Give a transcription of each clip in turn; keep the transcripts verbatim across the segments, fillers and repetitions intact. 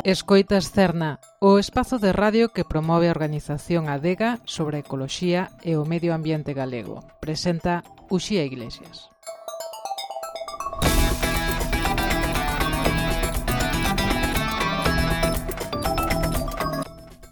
Escoitas Cerna, o espazo de radio que promove a organización Adega sobre a ecoloxía e o medio ambiente galego. Presenta Uxía Iglesias.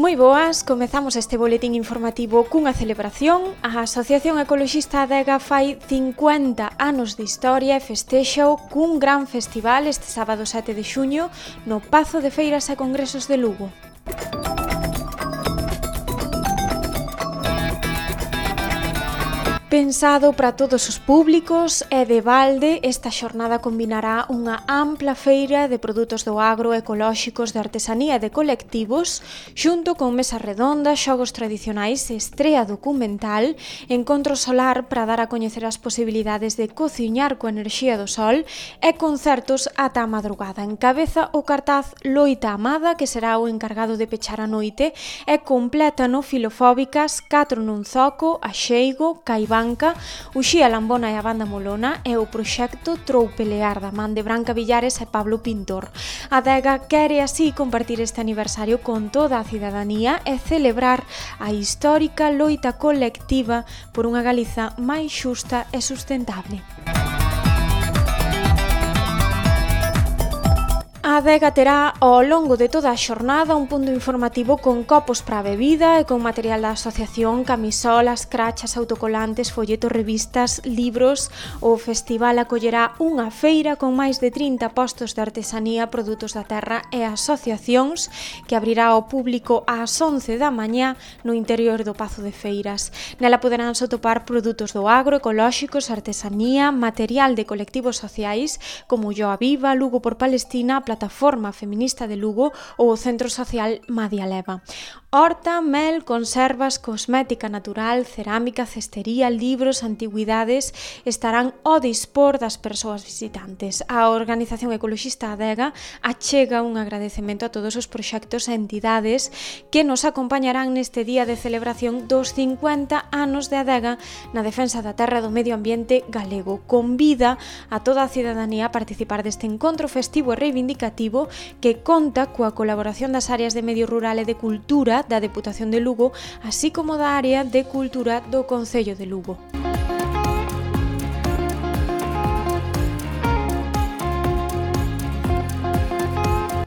Moi boas, comezamos este boletín informativo cunha celebración. A Asociación Ecoloxista Adega fai cincuenta anos de historia e festexao cun gran festival este sábado sete de xuño no Pazo de Feiras e Congresos de Lugo. Pensado para todos os públicos e de balde, esta xornada combinará unha ampla feira de produtos do agro, ecolóxicos, de artesanía e de colectivos, xunto con mesas redondas, xogos tradicionais, estrea documental, encontro solar para dar a coñecer as posibilidades de cociñar coa enerxía do sol e concertos ata a madrugada. Encabeza o cartaz Loita Amada, que será o encargado de pechar a noite, e completa no Filofóbicas, Catro nun Zoco, Axeigo, Caibán, Uxía Lambona e a Banda Molona e o proxecto Troupelear da man de Branca Villares e Pablo Pintor. A Adega quere así compartir este aniversario con toda a cidadanía e celebrar a histórica loita colectiva por unha Galiza máis xusta e sustentable. A Adega terá ao longo de toda a xornada un punto informativo con copos para a bebida e con material da asociación, camisolas, crachas, autocolantes, folletos, revistas, libros. O festival acollerá unha feira con máis de trinta postos de artesanía, produtos da terra e asociacións que abrirá ao público ás once da mañá no interior do Pazo de Feiras. Nela poderán atopar produtos do agro, ecolóxicos, artesanía, material de colectivos sociais como Ulloa Viva, Lugo por Palestina, a Plataforma Feminista de Lugo ou o Centro Social Madia Leva. Horta, mel, conservas, cosmética natural, cerámica, cestería, libros, antigüidades estarán ao dispor das persoas visitantes. A Organización Ecoloxista Adega achega un agradecemento a todos os proxectos e entidades que nos acompañarán neste día de celebración dos cincuenta anos de Adega na defensa da terra e do medio ambiente galego. Convida a toda a cidadanía a participar deste encontro festivo e reivindicativo que conta coa colaboración das áreas de medio rural e de cultura da Deputación de Lugo, así como da área de cultura do Concello de Lugo.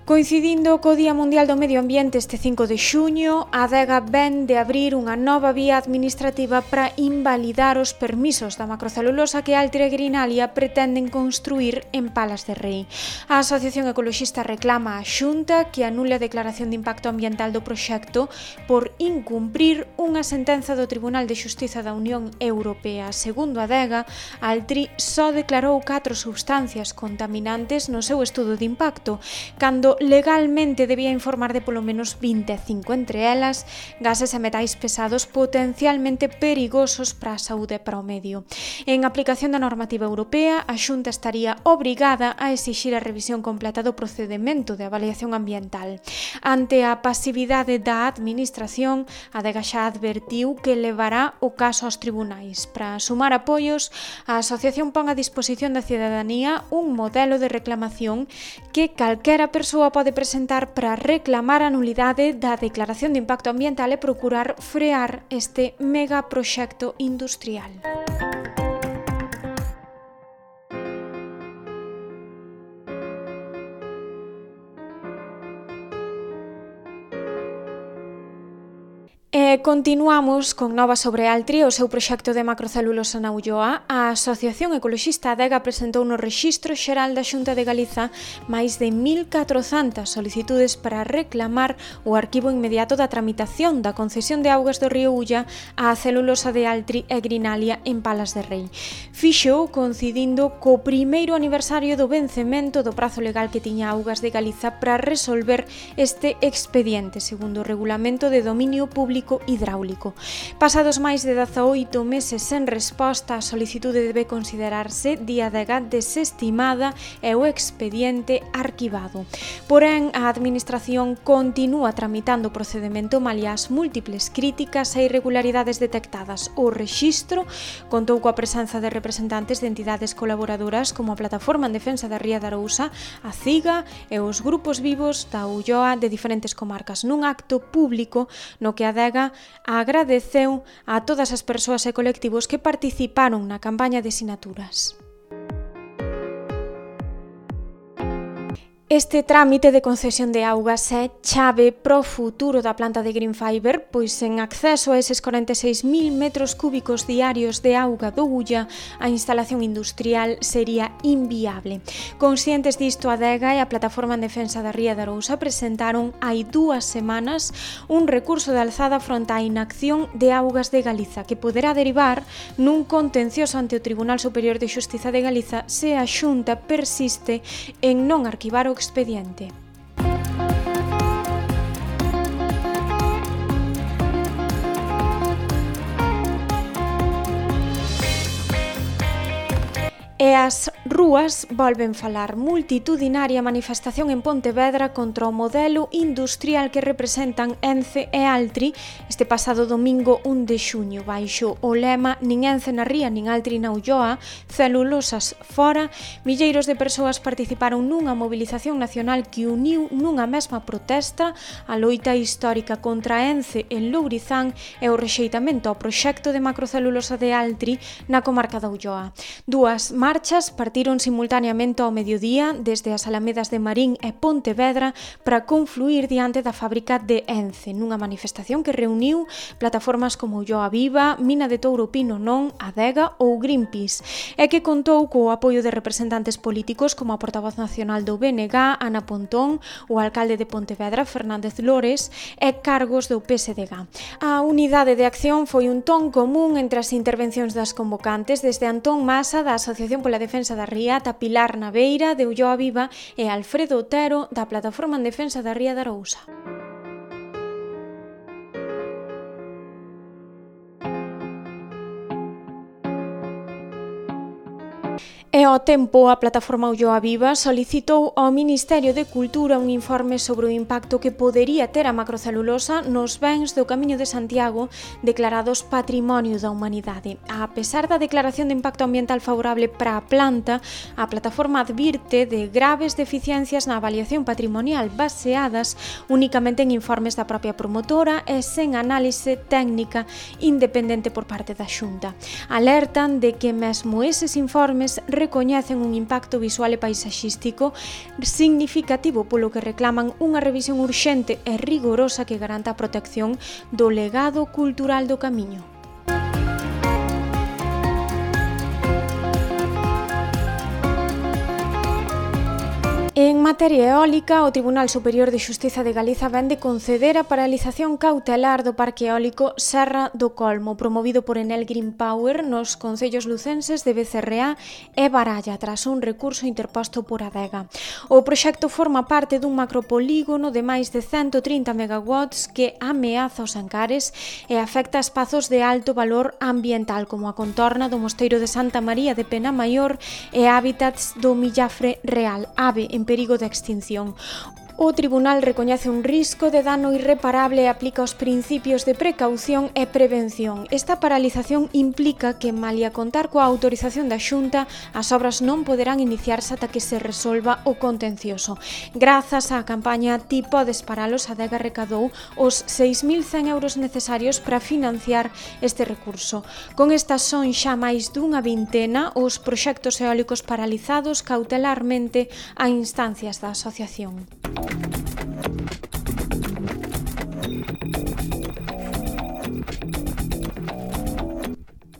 Coincidindo co Día Mundial do Medio Ambiente este cinco de xuño, a Adega ven de abrir unha nova vía administrativa para invalidar os permisos da macrocelulosa que Altri e Greenalia pretenden construir en Palas de Rei. A Asociación Ecoloxista reclama á Xunta que anule a declaración de impacto ambiental do proxecto por incumprir unha sentenza do Tribunal de Xustiza da Unión Europea. Segundo a Adega, Altri só declarou catro substancias contaminantes no seu estudo de impacto, cando legalmente debía informar de polo menos vinte e cinco, entre elas gases e metais pesados potencialmente perigosos para a saúde e para o medio. En aplicación da normativa europea, a Xunta estaría obrigada a exixir a revisión completa do procedemento de avaliación ambiental. Ante a pasividade da administración, a Adega xa advertiu que levará o caso aos tribunais. Para sumar apoios, a asociación pon a disposición da cidadanía un modelo de reclamación que calquera persoa pode presentar para reclamar a nulidade da declaración de impacto ambiental e procurar frear este megaproxecto industrial. E continuamos con novas sobre Altri e o seu proxecto de macrocelulosa na Ulloa. A Asociación Ecoloxista Adega presentou no Rexistro Xeral da Xunta de Galiza máis de mil catrocentas solicitudes para reclamar o arquivo inmediato da tramitación da concesión de augas do río Ulla á celulosa de Altri e Greenalia en Palas de Rei. Fixo coincidindo co primeiro aniversario do vencemento do prazo legal que tiña Augas de Galiza para resolver este expediente, segundo o Regulamento de Dominio Público técnico hidráulico. Pasados máis de dezaoito meses sen resposta, a solicitude debe considerarse de Adega desestimada e o expediente arquivado. Porén, a Administración continúa tramitando o procedemento malia as múltiples críticas e irregularidades detectadas. O rexistro contou coa presenza de representantes de entidades colaboradoras como a Plataforma en Defensa da Ría de Arousa, a CIGA e os grupos vivos da Ulloa de diferentes comarcas, nun acto público no que a Adega agradeceu a todas as persoas e colectivos que participaron na campaña de sinaturas. Este trámite de concesión de augas é chave pro futuro da planta de Green Fiber, pois sen acceso a eses corenta e seis mil metros cúbicos diarios de auga do Ulla, a instalación industrial sería inviable. Conscientes disto, a Adega e a Plataforma en Defensa da Ría de Arousa presentaron hai dúas semanas un recurso de alzada fronte á inacción de Augas de Galiza, que poderá derivar nun contencioso ante o Tribunal Superior de Xustiza de Galiza se a Xunta persiste en non arquivar o expediente. E as rúas volven falar. Multitudinaria manifestación en Pontevedra contra o modelo industrial que representan Ence e Altri este pasado domingo un de xuño, baixo o lema "Nin Ence na ría, nin Altri na Ulloa, celulosas fora". Milleiros de persoas participaron nunha mobilización nacional que uniu nunha mesma protesta a loita histórica contra Ence en Lourizán e o rexeitamento ao proxecto de macrocelulosa de Altri na comarca da Ulloa. Dúas marchas partiron simultaneamente ao mediodía desde as alamedas de Marín e Pontevedra para confluir diante da fábrica de Ence, nunha manifestación que reuniu plataformas como Ulloa Viva, Mina de Touro Pino Non, Adega ou Greenpeace, e que contou co apoio de representantes políticos como a portavoz nacional do B N G, Ana Pontón, o alcalde de Pontevedra, Fernández Lores, e cargos do P S D G. A unidade de acción foi un ton común entre as intervencións das convocantes, desde Antón Masa, da Asociación pola Defensa da Ría, ata Pilar Naveira, de Ulloa Viva, e Alfredo Otero, da Plataforma en Defensa da Ría de Arousa. E ao tempo, a Plataforma Ulloa Viva solicitou ao Ministerio de Cultura un informe sobre o impacto que podería ter a macrocelulosa nos bens do Camiño de Santiago declarados Patrimonio da Humanidade. A pesar da declaración de impacto ambiental favorable para a planta, a plataforma advirte de graves deficiencias na avaliación patrimonial baseadas únicamente en informes da propia promotora e sen análise técnica independente por parte da Xunta. Alertan de que mesmo eses informes recoñecen un impacto visual e paisaxístico significativo, polo que reclaman unha revisión urxente e rigorosa que garanta a protección do legado cultural do Camiño. En materia eólica, o Tribunal Superior de Xustiza de Galiza vén de conceder a paralización cautelar do parque eólico Serra do Colmo, promovido por Enel Green Power nos concellos lucenses de Becerreá e Baralla, tras un recurso interposto por Adega. O proxecto forma parte dun macropolígono de máis de ciento trinta megawatts que ameaza os Ancares e afecta espazos de alto valor ambiental, como a contorna do Mosteiro de Santa María de Penamaior e hábitats do millafre real, ave en perigo de extinción. O Tribunal recoñece un risco de dano irreparable e aplica os principios de precaución e prevención. Esta paralización implica que, malia contar coa autorización da Xunta, as obras non poderán iniciarse ata que se resolva o contencioso. Grazas á campaña Ti podes paralos, a Adega recadou os seis mil cen euros necesarios para financiar este recurso. Con estas son xa máis dunha vintena os proxectos eólicos paralizados cautelarmente a instancias da asociación.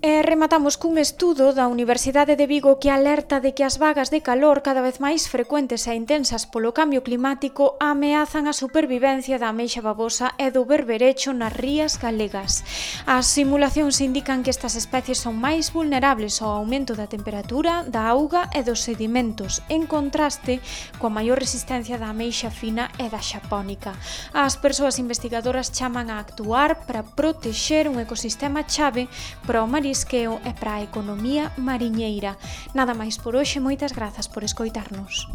E rematamos cun estudo da Universidade de Vigo que alerta de que as vagas de calor cada vez máis frecuentes e intensas polo cambio climático ameazan a supervivencia da ameixa babosa e do berberecho nas rías galegas. As simulacións indican que estas especies son máis vulnerables ao aumento da temperatura, da auga e dos sedimentos, en contraste coa maior resistencia da ameixa fina e da xapónica. As persoas investigadoras chaman a actuar para protexer un ecosistema chave para o marisqueo e para a economía mariñeira. Nada máis por hoxe, moitas grazas por escoitarnos.